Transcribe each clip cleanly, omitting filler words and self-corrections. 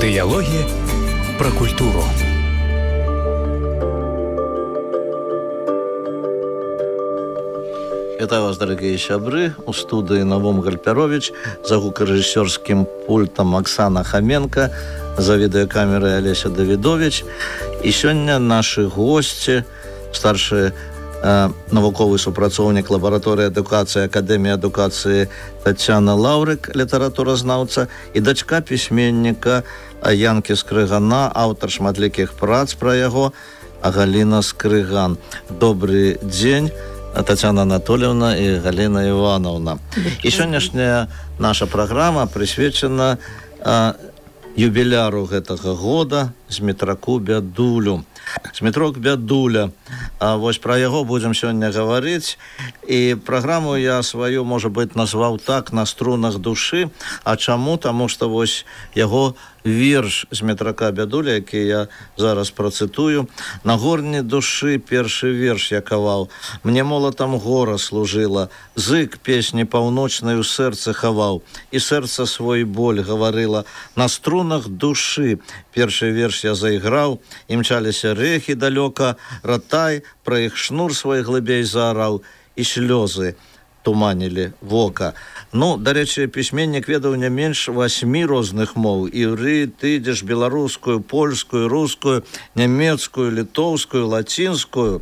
Диалоги про культуру. Вітаю вас, дорогие сябры. У студии Навум Гальпярович, за гукорежиссерским пультом Оксана Хоменко, за видеокамерой Олеся Давидович. И сегодня наши гости, старший навуковый супрацоўнік лабараторыі адукацыі Акадэміі адукацыі Тацяна Лаўрык, літаратуразнаўца, і дачка пісьменніка Янкі Скрыгана, аўтар шматлікіх прац пра яго, Галіна Скрыган. Добрый дзень, Татьяна Анатольевна и Галина Ивановна. И сегодняшняя наша программа присвячена юбіляру гэтага года Змітраку Бядулю. Змітрок Бядуля. Вось пра яго будзем сёння гаварыць. І праграму я сваю, можа быць, назваў так, на струнах душы. А чаму? Таму што вось яго верш Змітрака Бядуля, які я зараз працытую. На горні душы першы верш я каваў. Мне молатам гора служыла. Зык песні паўночнай у сэрцы хаваў. І сэрца свой боль гаварыла. На струнах душы першы верш я заіграў. Імчаліся рэхі далёка, ратай, пра іх шнур свой глыбей заараў, і слёзы туманілі вока. Ну, дарэчы, пісьменнік ведаў не менш 8 розных моў: іўрыт, ідыш, беларускую, польскую, рускую, нямецкую, літоўскую, лацінскую.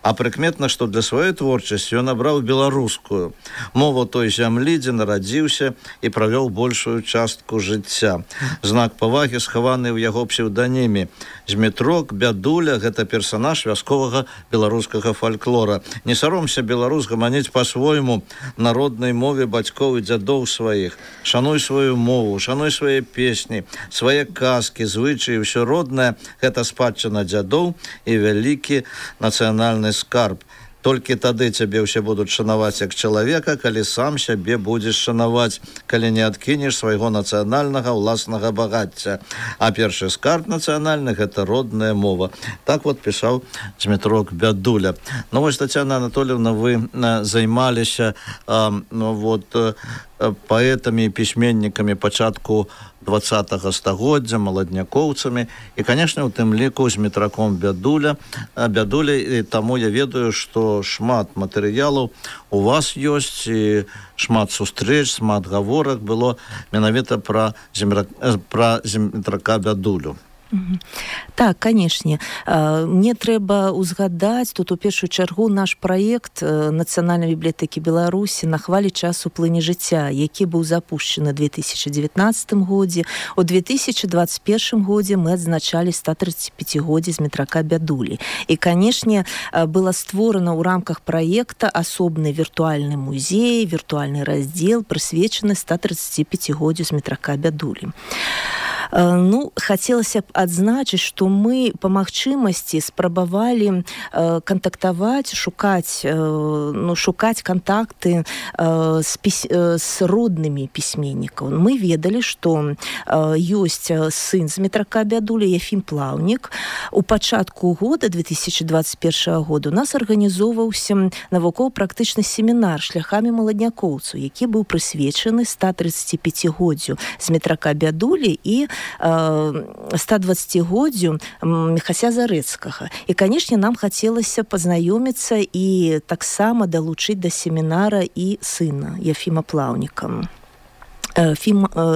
А прыкметна, што для сваёй творчасці ён абраў беларускую мову той зямлі, дзе нарадзіўся і правёў большую частку жыцця. Знак павагі схаваны ў яго псеўданіме. Змітрок Бядуля — гэта персанаж вясковага беларускага фальклора. Не саромся, беларус, гаманіць па-свойму народнай мове бацькоў і дзядоў сваіх. Шануй сваю мову, шануй свае песні, свае казкі, звычаі, ўсё роднае. Гэта спадчына дзядоў і вялікі нацыянальны скарб. Толькі тады цябе ўсе будуць шанаваць як чалавека, калі сам сябе будзеш шанаваць, калі не адкінеш свайго нацыянальнага ўласнага багацця. А першы скарб нацыянальны — гэта родная мова. Так вот пісаў Змітрок Бядуля. Ну вось, Татьяна Анатольевна, вы займаліся паэтамі і пісьменнікамі пачатку 20-го стагоддзя, маладнякоўцамі, і, канешне, у тым ліку Змітраком Бядуля. І таму я ведаю, што шмат матэрыялаў у вас ёсць, і шмат сустрэч, шмат гаворак было менавіта пра Змітрака Бядулю. Так, канешне. Мне трэба ўзгадаць тут у першую чаргу наш праект Нацыянальнай бібліятэкі Беларусі «На хвалі часу плыне жыцця», які быў запушчаны ў 2019 годзе. У 2021 годзе мы адзначалі 135-годдзе Змітрака Бядулі. І, канешне, была створана ў рамках праекта асобны віртуальны музей, віртуальны раздзел, прысвечаны 135-годдзю Змітрака Бядулі. Ну, хацелася б адзначыць, што мы па магчымасці спрабавалі кантактаваць, шукаць кантакты з роднымі пісьменнікаў. Мы ведалі, што ёсць сын Змітрака Бядулі, Ефім Плаўнік. У пачатку года, 2021 года, у нас арганізоўваўся навукова-практычны семінар шляхамі маладнякоўцаў, які быў прысвечаны 135-годдзю Змітрака Бядулі і 120-годдзю Міхася Зарэцкага. І, канешне, нам хацелася пазнаёміцца і таксама далучыць да семінара і сына Ефіма Плаўніка,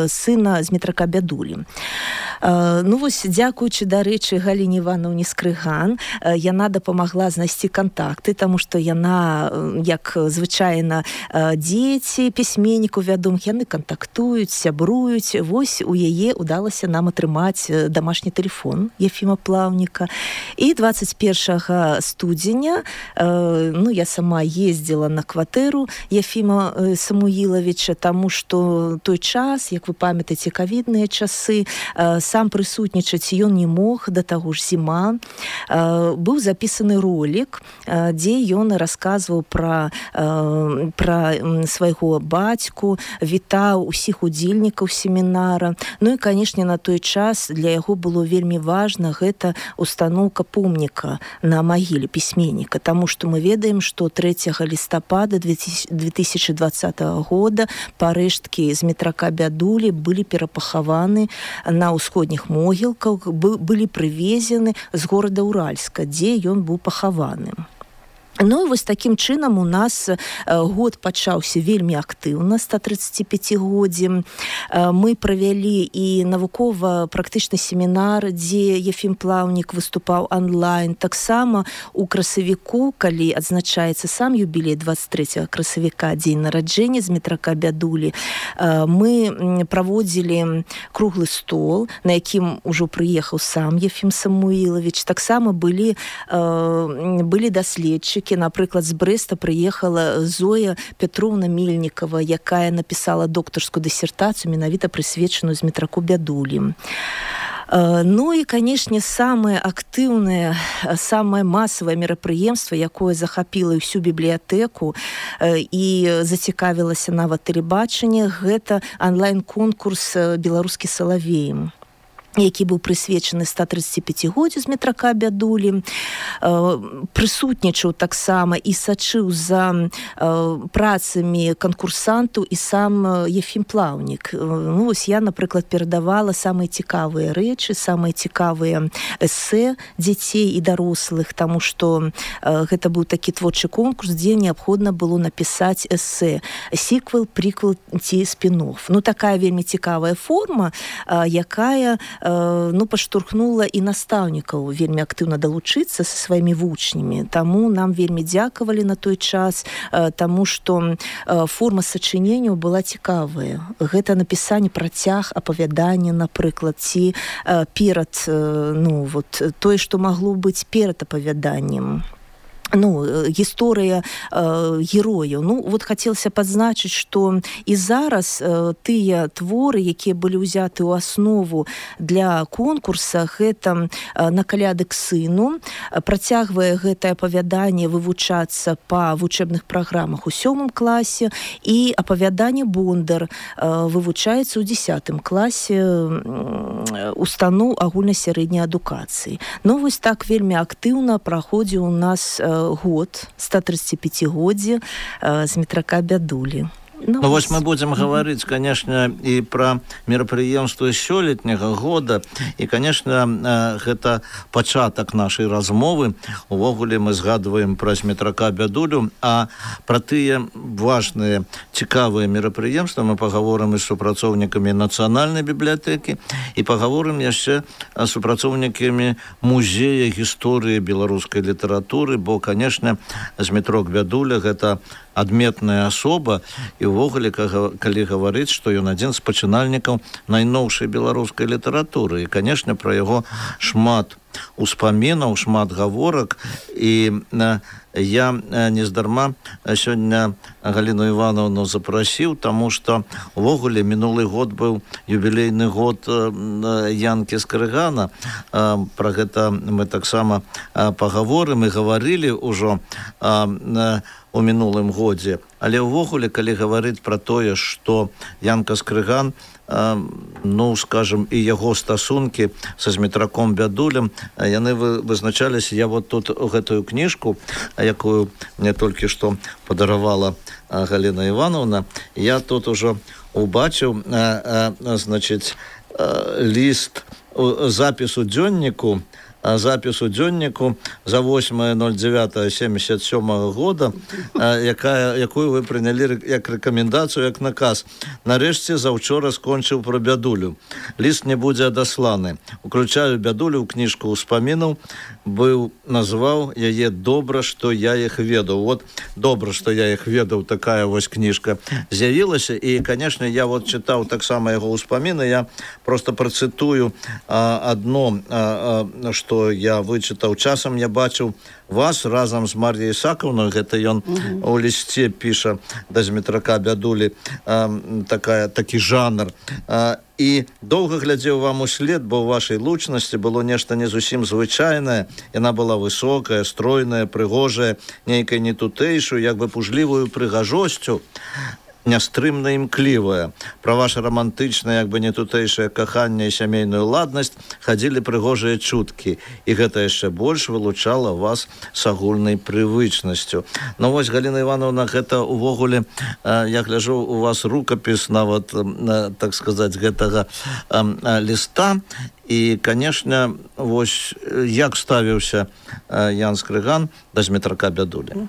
сына Змітрака Бядулі. Ну вось, дзякуючы, дарэчы, Галіне Івановне Скрыган, яна дапамагла знайсці кантакты, таму што яна, як звычайна дзеці пісьменнікаў вядомых, яны кантактуюць, сябруюць. Вось у яе ўдалася нам атрымаць дамашні тэлефон Ефіма Плаўніка. І 21 студзеня я сама ездзіла на кватэру Ефіма Самуілавіча, таму што той час, як вы памятаеце, ковідныя часы, сам прысутнічаць ён не мог, да таго ж зіма. Быў запісаны ролик, дзе ён расказваў пра свайго бацьку, вітаў усіх удзельнікаў семінара. Ну і, канешне, на той час для яго было вельмі важна гэта устаноўка помніка на магіле пісьменніка, таму што мы ведаем, што 3 лістапада 2020 года парэшткі Змітрака Бядулі былі перапахаваны на ўсходзе усходніх могілках былі прывезены з горада Уральска, дзе ён быў пахаваны. Ну і вось такім чынам у нас год пачаўся вельмі актыўна, 135-годдзем. Мы правялі і навукова-практычны семінар, дзе Ефім Плаўнік выступаў онлайн. Таксама у красавіку, калі адзначаецца сам юбілей 23 красавіка, дзень нараджэння Змітрака Бядулі, мы праводзілі круглы стол, на якім ужо прыехаў сам Ефім Самуілавіч. Таксама былі даследчыкі. Напрыклад, з Брэста прыехала Зоя Петровна Мельнікова, якая напісала доктарскую дысертацыю, менавіта прысвечаную Змітраку Бядулі. Ну і, канешне, самае актыўнае, самае масавае мерапрыемства, якое захапіла ўсю бібліятэку і зацікавілася нават тэлебачанне, гэта онлайн-конкурс «Беларускі салавей», які быў прысвечаны 135-годдзю Змітрака Бядулі. Прысутнічаў таксама і сачыў за працамі канкурсантаў і сам Ефім Плаўнік. Ну, вось я, напрыклад, перадавала самыя цікавыя рэчы, самыя цікавыя эсэ дзяцей і дарослых, таму што гэта быў такі творчы конкурс, дзе неабходна было напісаць эсэ. Сіквел, приквел ці спін-офф. Ну, такая вельмі цікавая форма, якая паштурхнула і настаўнікаў вельмі актыўна далучыцца са сваімі вучнямі. Таму нам вельмі дзякавалі на той час, таму што форма сачыненняў была цікавая. Гэта напісанне працяг апавядання, напрыклад, ці перад, тое, што магло быць перад апавяданнем. Гісторыя герояў. Хацелася падзначыць, што і зараз тыя творы, якія былі ўзяты ў аснову для конкурса, гэта «На каляды к сыну». Працягвае гэтае апавяданне вывучацца па вучэбных праграмах у 7 класе, і апавяданне «Бондар» вывучаецца ў 10 класе устаноў агульнай сярэдняй адукацыі. Вось так вельмі актыўна праходзіў у нас год, 135-годдзе Змітрака Бядулі. Вось мы будзем гаварыць, конечно, і пра мерапрыемствы сёлетняга года, і, конечно, гэта пачатак нашай размовы. Увогуле мы згадваем пра Змітрака Бядулю, а пра тыя важныя, цікавыя мерапрыемствы мы пагаворым і з супрацоўнікамі Нацыянальнай бібліятэкі, і пагаворым яшчэ з супрацоўнікамі музея гісторыі беларускай літаратуры, бо, конечно, Змітрок Бядуля гэта адметная асоба, і ўвогуле, калі гаварыць, што ён адзін з пачынальнікаў найноўшай беларускай літаратуры. І, канешне, пра яго шмат успамінаў, шмат гаворак, і я нездарма сёння Галіну Івановну запрасіў, таму што увогуле мінулы год быў юбілейны год Янкі Скрыгана. Пра гэта мы таксама пагаворым і гаварылі ўжо у мінулым годзе. Але ўвогуле, калі гаварыць пра тое, што Янка Скрыган, скажем, і яго стасункі са Змітраком Бядулем, яны вызначаліся. Я вот тут гэтую кніжку, якую мне толькі што падаравала Галіна Івановна, я тут ужо убачыў, ліст запісу дзённіку за 8.09.77 года, якую вы прынялі як рэкамендацыю, як наказ. Нарэшце заўчора скончыў пра Бядулю. Ліст не будзе адасланы. Уключаю Бядулю ў кніжку ўспамінаў, назваў яе «Добра, што я іх ведаў». Вот «Добра, што я іх ведаў», такая вось кніжка з'явілася. І, конечно, я вот чытаў таксама яго ўспаміны. Я просто працытую адно, што я вычытаў. Часам я бачыў вас разам з Мар'яй Ісакаўнай, гэта ён у лісце піша да Змітрака Бядулі, такі жанр. І доўга глядзеў вам услед, бо ў вашай лучнасці было нешта не зусім звычайнае. Яна была высокая, стройная, прыгожая, нейкай нетутэйшую, як бы пужлівую прыгажосцю. нястрымна імклівая. Пра ваша рамантычнае, як бы не тутэйшае каханне і сямейную ладнасць хадзілі прыгожыя чуткі, і гэта яшчэ больш вылучала вас с агульнай прывычнасцю. Ну вось, Галина Ивановна, гэта увогуле, я гляжу, у вас рукапіс нават, так сказаць, гэтага ліста. І, конечно, вось як ставіўся Ян Скрыган да Змітрака Бядулі?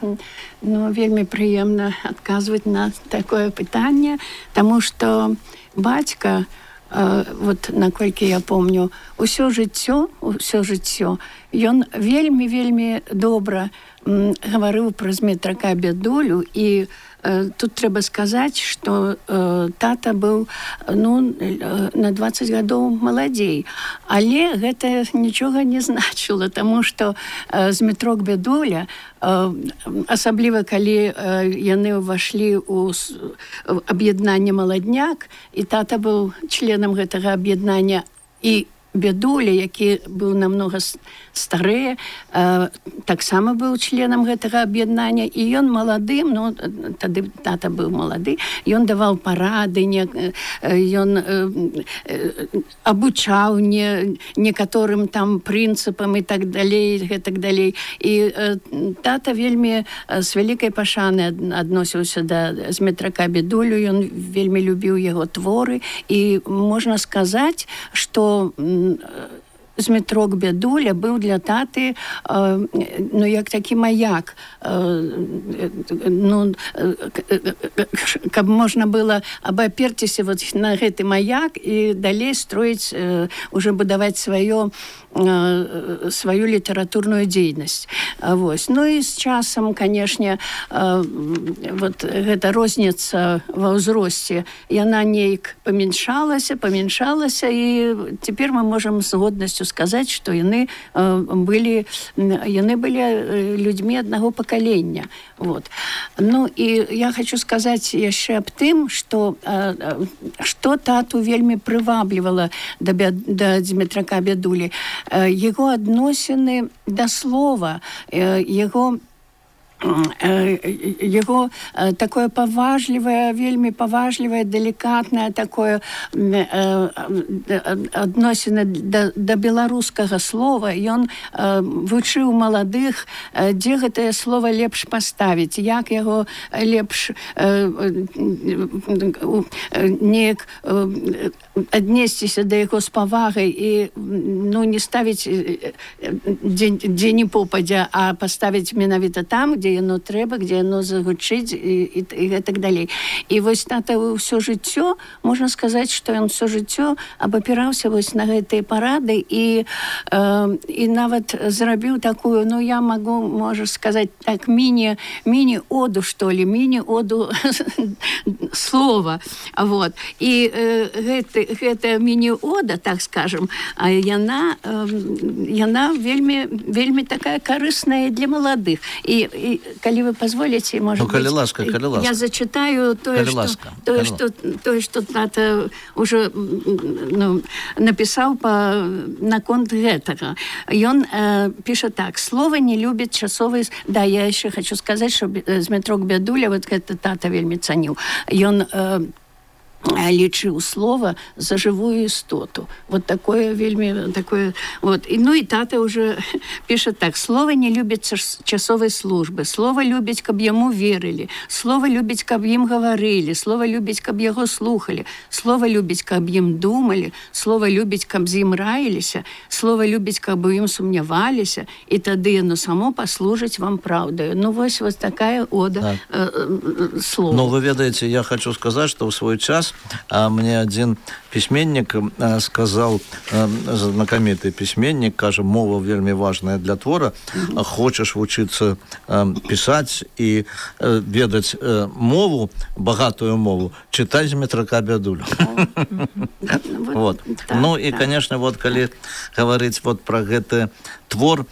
Ну, вельмі прыемна адказваць на такое пытанне, таму што бацька, вот наколькі я помню, усё жыццё, ён вельмі добра гаварыў пра Змітрака Бядулю, і тут трэба сказаць, што тата быў на 20 гадоў маладзей, але гэта нічога не значыла, таму што Змітрок Бядуля, асабліва калі яны ўвайшлі ў аб'яднанне «Маладняк», і тата быў членам гэтага аб'яднання, і Бядуля, які быў намнога стары, таксама быў членам гэтага аб'яднання, і ён маладым, тады тата быў малады, ён даваў парады, ён абучаў некаторым там прынцыпам і так далей, гэтак далей. І тата вельмі з вялікай пашанай адносіўся да Змітрака Бядулю, ён вельмі любіў яго творы, і можна сказаць, што Змітрок Бядуля быў для таты як такі маяк, каб можна было абаперціся на гэты маяк і далей строіць, уже будаваць сваю літаратурную дзейнасць. Ну і з часам, канешне, гэта розніца ва ўзросце, яна неяк памяншалася, і цяпер мы можам з годнасцю сказаць, што яны былі людзьмі аднаго пакалення. Ну і я хочу сказаць яшчэ аб тым, што тату вельмі прываблівала да Змітрака Бядулі. Яго адносіны да слова, яго такое паважлівае, вельмі паважлівае, далікатнае такое адносіны да беларускага слова. Ён вучыў маладых, дзе гэтае слова лепш паставіць, як яго лепш неяк аднесціся да яго з павагай і не ставіць дзе не попадзя, а паставіць менавіта там, где яно трэба, где яно загучыць і гэтак далей. І вось тата ўсё жыццё, можна сказаць, што ён ўсё жыццё абапіраўся вось на гэтыя парады і нават зрабіў такую, я магу, можна сказаць, так, міні-оду, што ли, міні-оду слова. І гэта міні-ода, так скажем, яна вельмі такая карысная для маладых. І калі вы позволите, может калі ласка. Я зачитаю тое, што тата уже напісаў наконт гэтага. Ён піша так: «Слова не любіць часовай...» Да, я яшчэ хочу сказаць, што Змітрок Бядуля, вот гэта тата вельмі цаніў. Ён лічыў слова за жывую істоту. Вот такое вельмі такое. І тата уже піша так: «Слова не любіць часовай службы, слова любіць, каб яму верылі, слова любіць, каб ім гаварылі, слова любіць, каб яго слухалі, слова любіць, каб ім думалі, слова любіць, каб з ім раіліся, слова любіць, каб у ім сумняваліся, і тады яно само паслужыць вам праўдаю». Вось такая ода слова. Вы ведаеце, я хочу сказаць, што ў свой час мне один письменник сказал, знакомитый письменник, кажа, мова вельмі важная для твора, хочаш вучыцца пісаць і ведаць мову, багатую мову, чытай Змітрака Бядулю. Ну і, конечно, калі гаварыць про гэты твор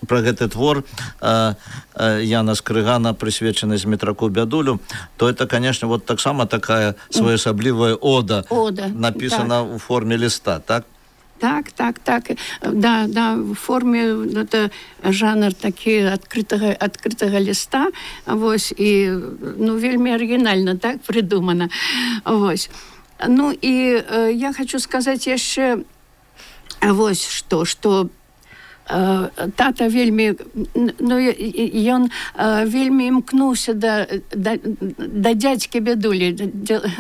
про гэты твор Яна Скрыгана, прысвечаны Змітраку Бядулю, то это, конечно, таксама такая своеасаблівая ода, написана у форме листа, так? Так. Да, в форме это жанр такі адкрытага ліста, вось, і, ну, вельмі арыгінальна, так, прыдумана, вось. Ну, і я хочу сказаць яшчэ вось што тата вельмі, ну, ён вельмі імкнуўся да дзядзькі Бядулі.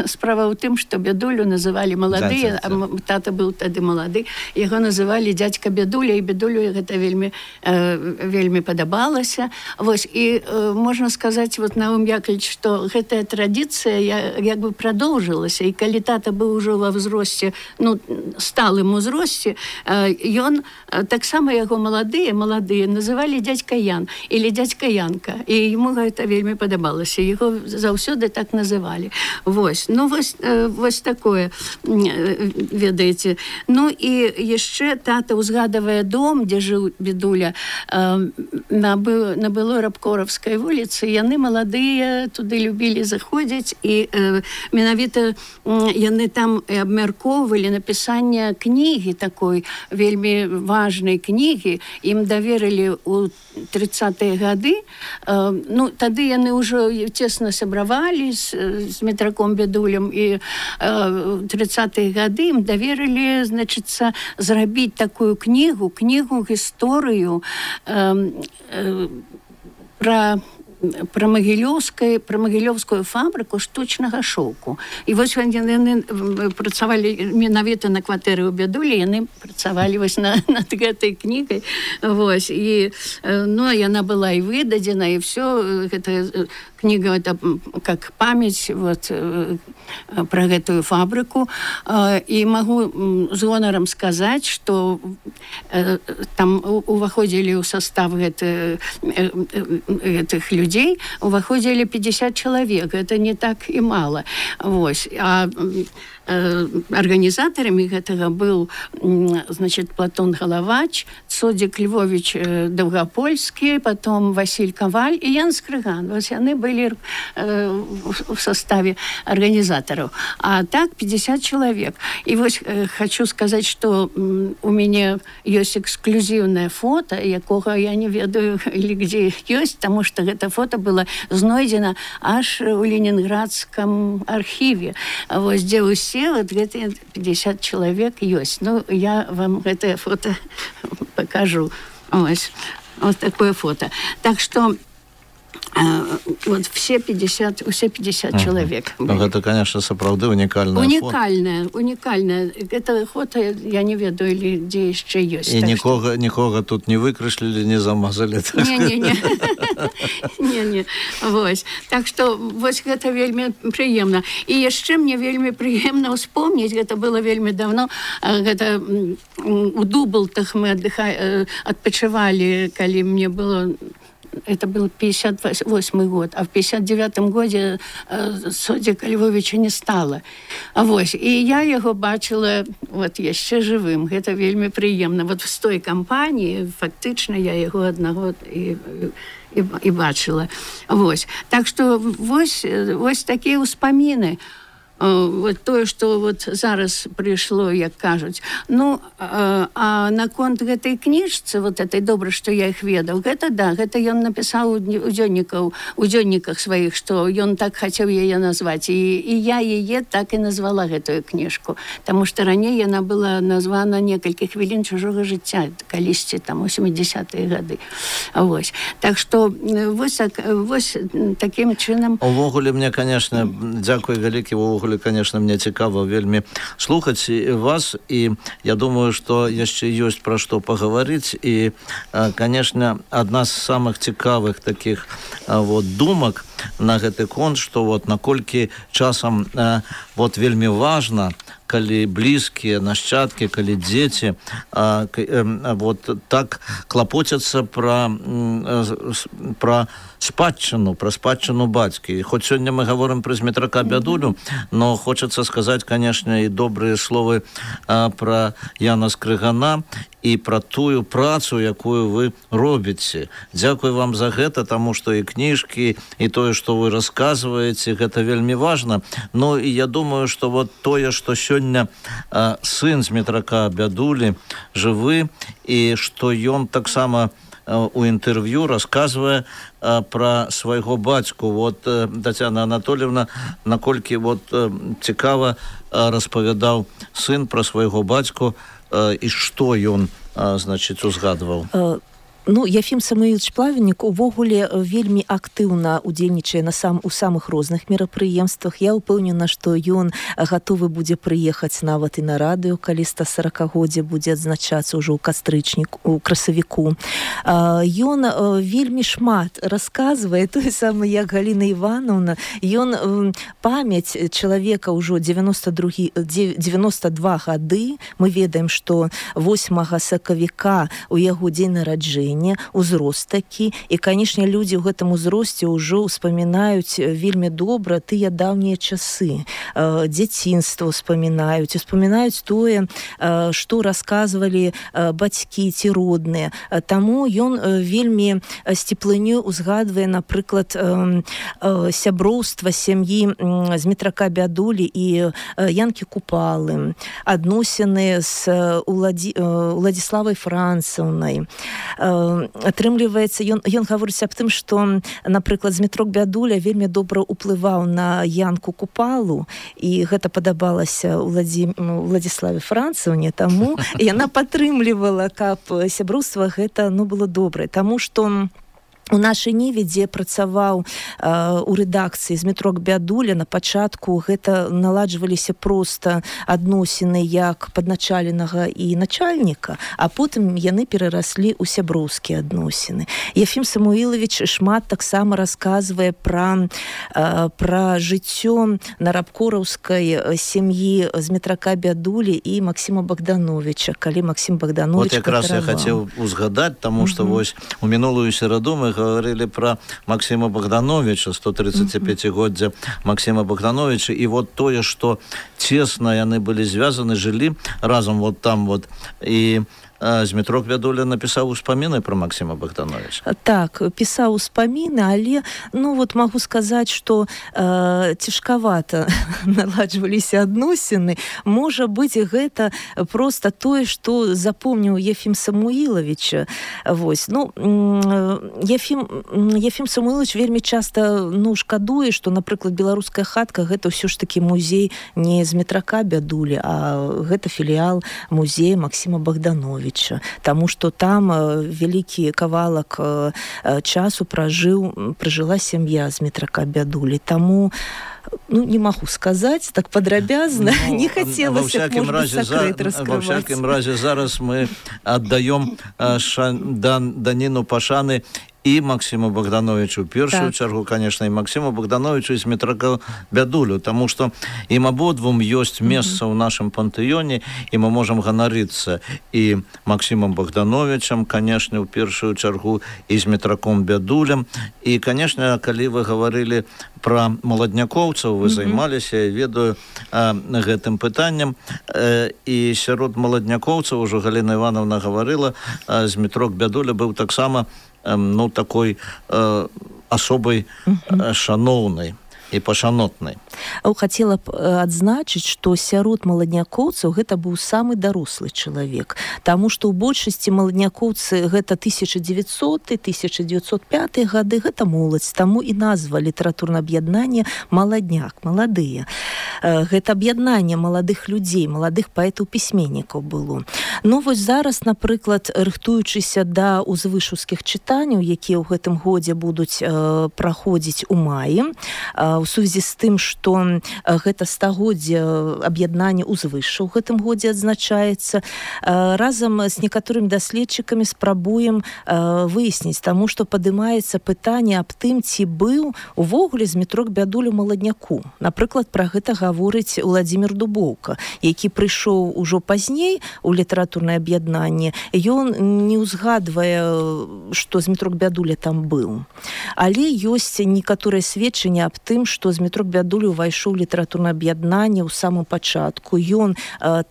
Справа ў тым, што Бядулю называлі малады, а тата быў тады малады, яго называлі дзядзька Бядуля, і Бядулю гэта вельмі падабалася. Вось, і можна сказаць, вот, Наум Яковлевич, што гэтая традыцыя як бы прадоўжылася, і калі тата быў ужо ва ўзросце, ну, сталым узросце, ён таксама яго маладыя называлі дзядзька Ян или дзядзька Янка, і яму гэта вельмі падабалася, яго заўсёды так называлі. Вось, ну, вось такое, ведаеце. Ну, і яшчэ тата ўзгадавае дом, дзе жыў Бядуля, на былой Рабкоравскай вуліцы. Яны маладыя туды любілі заходзіць, і менавіта яны там абмяркоўвалі напісанне кнігі такой, вельмі важнай кнігі. Ім даверылі ў 30-е гады. Ну, тады яны ўжо цесна сябравалі з метраком Бядулем, і 30-е гады ім даверылі, значыцца, зрабіць такую кнігу, гісторыю пра магілёўскую фабрыку штучнага шоўку. І вось яны працавалі менавіта на кватэры ў Бядулі, яны працавалі вось над гэтай кнігай. Вось, і, ну, яна была і выдадзена, і ўсё, гэта книга, это как память вот, про эту фабрику. И могу с гонором сказать, что там уваходили в состав этих людей, уваходили 50 человек. Это не так и мало. Вот. А организаторами этого был, значит, Платон Головач, Цодик Львович Довгопольский, потом Василь Коваль и Ян Скрыган. Вот они были в составе организаторов. А так 50 человек. И вот хочу сказать, что у меня есть эксклюзивное фото, якого я не ведаю, или где есть, потому что это фото было знойдено аж в Ленинградском архиве. Вот где все вот эти 50 человек есть. Ну, я вам это фото покажу. Вот такое фото. Так что вот все 50 человек. Это, конечно, сапраўды уникальное фото. Уникальное. Это фото, я не ведаю, или где еще есть. И никого тут не выкрашили, не замазали. Не. Вот. Так что вот это вельми приемно. И еще мне вельми приемно вспомнить, это было вельми давно, это у Дублтах мы отпочивали, когда мне было... Это был 58 год, а в 59 году Цодика Львовича не стало. Вот. И я его бачила вот еще живым. Это вельми приемно. Вот в той компании фактично я его одного и бачила. Вот. Так что вот такие успомины. Вот то, что вот зараз пришло, як кажуть. Ну, а наконт гэтай кніжцы, вот этой добра, што я их ведаў, гэта да, гэта ён напісаў у дзённіках сваіх, што ён так хацеў яе назваць. І я яе так і назвала, гэтую кніжку. Таму што раней яна была названа «Некалькі хвілін чужога жыцця», калісьці там у 70-е гады. Вось. Так што вось таким чынам... Увогуле мне, конечно, дзякуй вялікі, увогуле, конечно, мне цікаво вельмі слухаць вас, і я думаю, што яшчэ ёсць пра што паговорыць, і, конечно, адна з самых цікавых таких вот думак на гэты конт, што вот наколькі часам вот вельмі важна, калі блізкія нашчадкі, калі дзеці вот так клапоцяцца пра спадчыну бацькі. Хоць сёння мы гаворым пра Змітрака Бядулю, но хочацца сказаць, конечно, і добрыя словы пра Яна Скрыгана, і пра тую працу, якую вы робіце. Дзякуй вам за гэта, таму што і кніжкі, і тое, што вы расказваеце, гэта вельмі важна. Ну і я думаю, што вот тое, што сёння сын Змітрака Бядулі жывы, і што ён таксама у інтэрв'ю расказвае пра свайго бацьку. Вот Тацяна Анатольевна, наколькі вот цікава распавядаў сын пра свайго бацьку і што ён, значыць, узгадваў. Ну, Яфім Самуілович Плавеннік увогуле вельмі актыўна удзельнічае у самых розных мерапрыемствах. Я ўпэўнена, што ён гатовы будзе прыехаць нават і на радыё, калі 140-годдзе будзе адзначацца ўжо ў красавіку. Ён вельмі шмат расказвае, тое самае, як Галіна Івановна. Ён памяць чалавека ўжо 92 гады. Мы ведаем, што 8 сакавіка у яго дзень нараджэння, узрост такі, і, канешне, людзі ў гэтым узросце ўжо ўспамінаюць вельмі добра тыя даўнія часы, дзяцінства ўспамінаюць тое, што расказвалі бацькі ці родныя. Таму ён вельмі з цеплынёй узгадвае, напрыклад, сяброўства сям'і Змітрака Бядулі і Янкі Купалы, адносіны з Уладзіславай Францаўнай. Атрымліваецца, ён гаворыць аб тым, што, напрыклад, Змітрок Бядуля вельмі добра ўплываў на Янку Купалу, і гэта падабалася Уладзіславе Францаўне, таму яна падтрымлівала, каб сяброўства гэта было добрае. Таму што у нашай Ніве, дзе працаваў у рэдакцыі Змітрок Бядуля, на пачатку гэта наладжваліся проста адносіны як падначаленага і начальніка, а потым яны перараслі ў сяброўскія адносіны. Яфім Самуілович шмат таксама расказвае пра жыццё на рабкораўскай сям'і Змітрака Бядулі і Максіма Богдановича, калі Максім Богданович вот якраз я хацеў узгадаць, таму што вось у мінулую сераду мы говорили про Максима Богдановича, 135-годдзя Максима Богдановича, и вот тое, что тесно яны были связаны, жили разом вот там вот, и Змітрок Бядуля напісаў успаміны пра Максіма Богдановича. Так, пісаў успаміны, але, магу сказаць, што цяжкавата наладжваліся адносіны. Можа быць, гэта проста тое, што запомніў Яфім Самуілович. Вось. Яфім Самуілович вельмі часта шкадуе, што, напрыклад, беларуская хатка гэта ўсё ж такі музей не Змітрака Бядулі, а гэта філіял музея Максіма Богдановича. Таму што там вялікі кавалак часу пражыла сям'я Змітрака Бядулі. Таму не магу сказаць так падрабязна, не хацелася б, можа, сакрэт раскрываць. Во всякім разе зараз мы аддаём даніну пашаны і Максиму Богдановичу, в першую чаргу, конечно, і Максиму Богдановичу, і Змітраку Бядулю, тому што ім абодвум ёсць месца ў нашым пантэоне, і мы можам ганарыцца і Максимом Богдановичем, конечно, в першую чаргу, і Змітраком Бядулем. І, конечно, калі вы гаварылі пра маладнякоўцаў, вы займаліся, я ведаю, гэтым пытаннем, і сярод маладнякоўцаў, ужо Галіна Івановна гаварыла, Змітрок Бядуля быў таксама такой особой шаноўнай і пашанотнай. Хацела б адзначыць, што сярод маладнякоўцаў гэта быў самы дарослы чалавек, таму што ў большасці маладнякоўцы гэта 1900-1905 гады, гэта моладзь, таму і назва літаратурнае аб'яднанне «Маладняк», маладыя. Гэта аб'яднанне маладых людзей, маладых паэтаў-пісьменнікаў было. Вось зараз, напрыклад, рыхтуючыся да узвышаўскіх чытанняў, якія ў гэтым годзе будуць праходзіць у маі, у сувязі з тым, што гэта 100-годдзе аб'яднання узвышша ў гэтым годзе адзначаецца, разам з некаторымі даследчыкамі спрабуем выясніць, таму што падымаецца пытанне аб тым, ці быў увогуле Змітрок Бядуля маладняку. Напрыклад, пра гэта гаворыць Уладзімір Дубоўка, які прыйшоў ужо пазней у літаратурнае аб'яднанне. Ён не ўзгадвае, што Змітрок Бядуля там быў. Але ёсць некаторыя сведчанні аб тым, тым, што Змітрок Бядуля ўвайшоў у літаратурнае аб'яднанне ў самым пачатку. Ён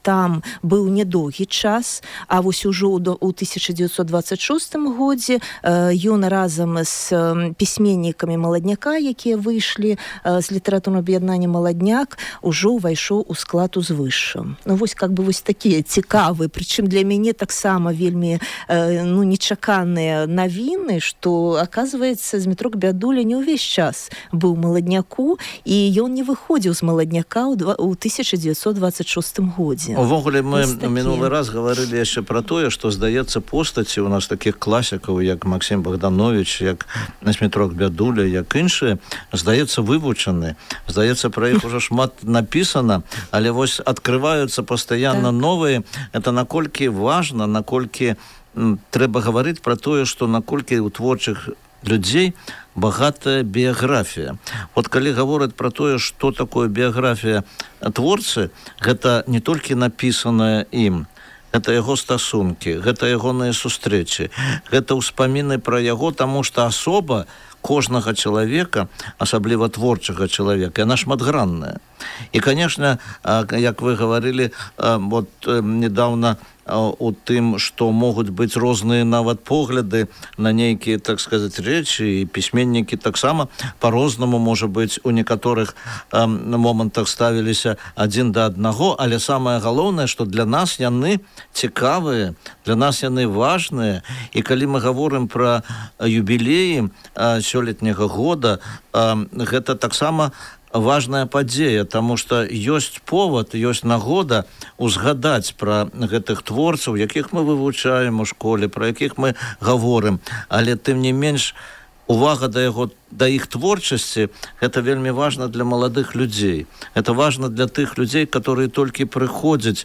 там быў недоўгі час, а вось ужо ў 1926 годзе ён разам з пісьменнікамі маладняка, якія выйшлі з літаратурнага аб'яднання «Маладняк», ужо ўвайшоў у склад узвышша. Ну вось как бы вось такія цікавыя, прычым для мяне таксама вельмі нечаканыя навіны, што оказывается Змітрок Бядуля не ўвесь час быў маладняку, і ён не выходзіў з маладняка ў 1926 годзе. Увогуле мы мінулы раз гаварылі яшчэ пра тое, што здаецца постаці у нас такіх класікаў, як Максім Богданович, як Змітрок Бядуля, як іншыя, здаецца вывучаны. Здаецца, пра іх ужо шмат напісана, але вось адкрываюцца пастаянна новыя. Это наколькі важна, наколькі трэба гаварыць пра тое, што наколькі у творчых людзей багатая біяграфія. Вот калі гавораць пра тое, што такое біяграфія творцы, гэта не толькі напісанае ім, гэта яго стасункі, гэта ягоныя сустрэчы, гэта ўспаміны пра яго, таму што асоба кожнага чалавека, асабліва творчага чалавека, яна шматгранная. І, конечно, як вы гаварылі вот недавно у тым, што могуць быць розныя нават погляды на нейкія, так сказаць, рэчы, і пісьменнікі таксама по-рознаму, можа быць, у некаторых момантах ставіліся адзін да аднаго, але самае галоўнае, што для нас яны цікавыя, для нас яны важныя, і калі мы гаворым пра юбілеі сёлетняга года, гэта таксама важная падзея, таму што ёсць повод, ёсць нагода узгадаць пра гэтых творцаў, якіх мы вывучаем у школе, пра якіх мы гаворым, але тым не менш увага да іх творчасці, гэта вельмі важна для маладых людзей. Это важна для тых людзей, которые толькі прыходзяць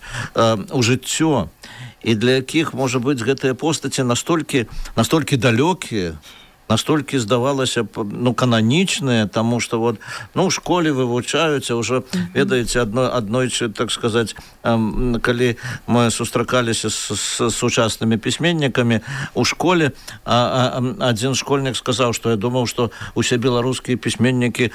у жыццё, і для якіх, можа быць, гэтыя постаці настолькі далёкія, настолькі здавалася кананічныя, таму што вот, у школе вывучаюцца, ўжо ведаеце, аднойчы, так сказаць, калі мы сустракаліся з сучаснымі пісьменнікамі у школе, адзін школьнік сказаў, што я думаў, што усе беларускія пісьменнікі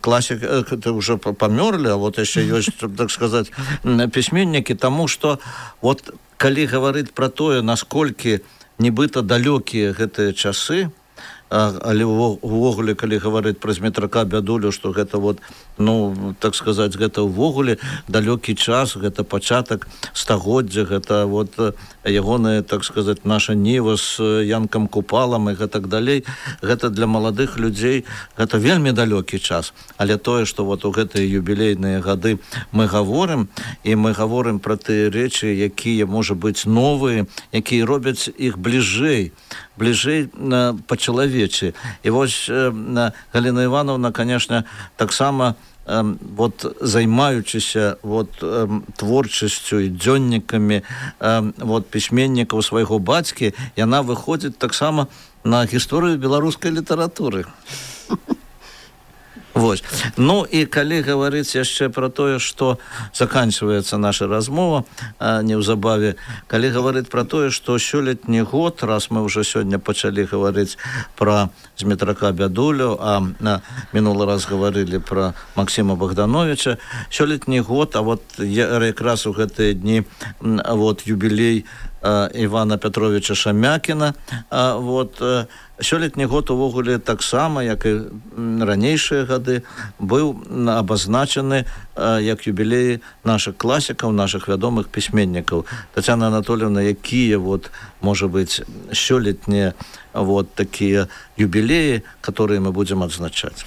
класік ўжо памёрлі, а вот яшчэ ёсць, так сказаць, пісьменнікі, таму што вот калі гаварыць пра тое, насколькі нібыта далёкія гэтыя часы, але увогуле, калі гаварыць пра Змітрака Бядулю, што гэта вот, так сказаць, гэта ўвогуле далёкі час, гэта пачатак стагоддзя, гэта вот ягоная, так сказаць, наша ніва з Янкам Купалам і гэтак далей, гэта для маладых людзей, гэта вельмі далёкі час. Але тое, што вот у гэтыя юбілейныя гады мы гаворым, і мы гаворым пра тыя рэчы, якія, можа быць, новыя, якія робяць іх бліжэй па-чалавечы. І вось Галіна Івановна, конечно, таксама вот займаючыся вот творчасцю і дзённікамі вот пісьменнікаў свайго бацькі, яна выходзіць таксама на гісторыю беларускай літаратуры. Вось. І калі гаварыць яшчэ пра тое, што заканчваецца наша размова неўзабаве, калі гаварыць пра тое, што сёлетні год, раз мы ўжо сёння пачалі гаварыць пра Змітрака Бядулю, а мінулы раз гаварылі пра Максіма Богдановича, сёлетні год, а вот якраз у гэтыя дні вот юбілей Івана Пятровича Шамякіна, вот сёлетні год увогуле таксама, як і ранейшыя гады, быў абазначаны як юбілеі наших класікаў, наших вядомых пісьменнікаў. Тацяна Анатольевна, якія вот, можа быць, сёлетнія вот такие юбилеи, которые мы будем отзначать.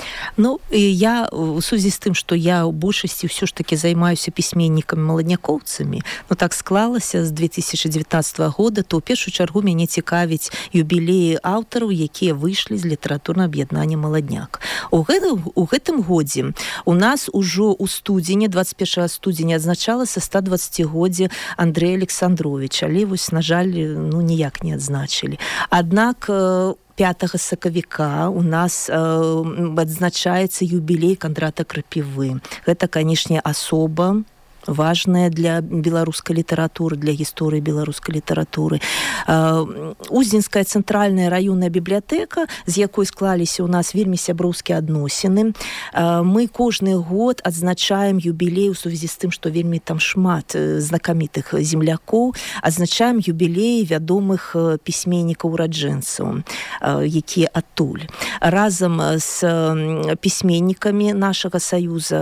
Я в связи с тем, что я в большасці все ж таки займаюсь письменниками-маладнякоўцамі, так склалася з 2019 года, то ў першую чаргу мяне цікавіць юбілеі аўтараў, якія выйшлі з літаратурнага аб'яднання «Маладняк». У гэтым годзе у нас ужо ў студзені, 21 студзеня, адзначалася 120-годдзе Андрэя Александровича, але вось, на жаль, ніяк не адзначылі. Аднак 5 сакавіка у нас адзначаецца юбілей Кандрата Крапівы. Гэта, канешне, асоба важная для беларускай літаратуры, для гісторыі беларускай літаратуры. Уздзенская цэнтральная раённая бібліятэка, з якой склаліся ў нас вельмі сяброўскія адносіны. Мы кожны год адзначаем юбілей у сувязі з тым, што вельмі там шмат знакамітых землякоў, адзначаем юбілей вядомых пісьменнікаў-ураджэнцаў, якія адтуль. Разам з пісьменнікамі нашага саюза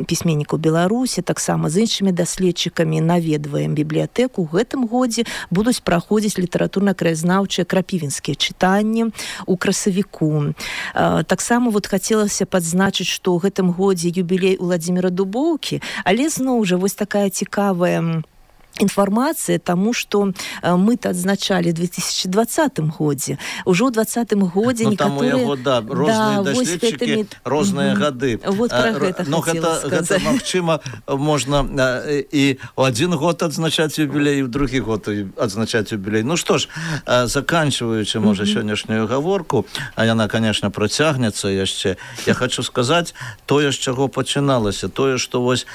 пісьменнікаў Беларусі, таксама з іншымі даследчыкамі наведваем бібліятэку. У гэтым годзе будуць праходзіць літаратурна-краязнаўчыя крапівінскія чытанні у красавіку. Таксама хацелася падзначыць, што ў гэтым годзе юбілей Уладзіміра Дубоўкі, але зноў жа вось такая цікавая інфармацыя, таму што мы-то адзначалі ў 2020 годзе. Ужо ў 2020 годзе некаторыя... Там у яго, розныя даследчыкі, розныя гады. Вот пра гэта хацела сказаць. Гэта, магчыма, можна і ў адзін год адзначаць юбілей, і ў другі год адзначаць юбілей. Ну што ж, заканчваючы, можа, сённяшнюю гаворку, а яна, конечно, працягнецца яшчэ, я хочу сказаць тое, з чаго пачыналася, тое, што вось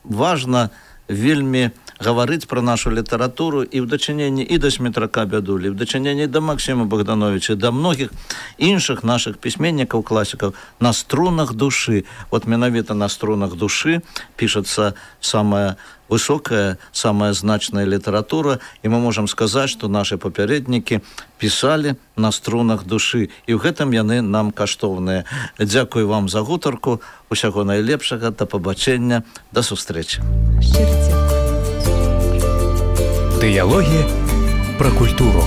важна вельмі гаварыць пра нашу літаратуру і ў дачыненні і да Смітрака Бядулі, і ў дачыненні да Максіма Богдановича, да многіх іншых нашых пісьменнікаў, класікаў, на струнах душы. Вот менавіта на струнах душы пішацца самая высокая, самая значная літаратура, і мы можам сказаць, што нашы папярэднікі пісалі на струнах душы, і ў гэтым яны нам каштоўныя. Дзякую вам за гутарку, усяго найлепшага, да пабачэння, да сустрэчы. Шчыра дзякую. Дыялогі пра культуру.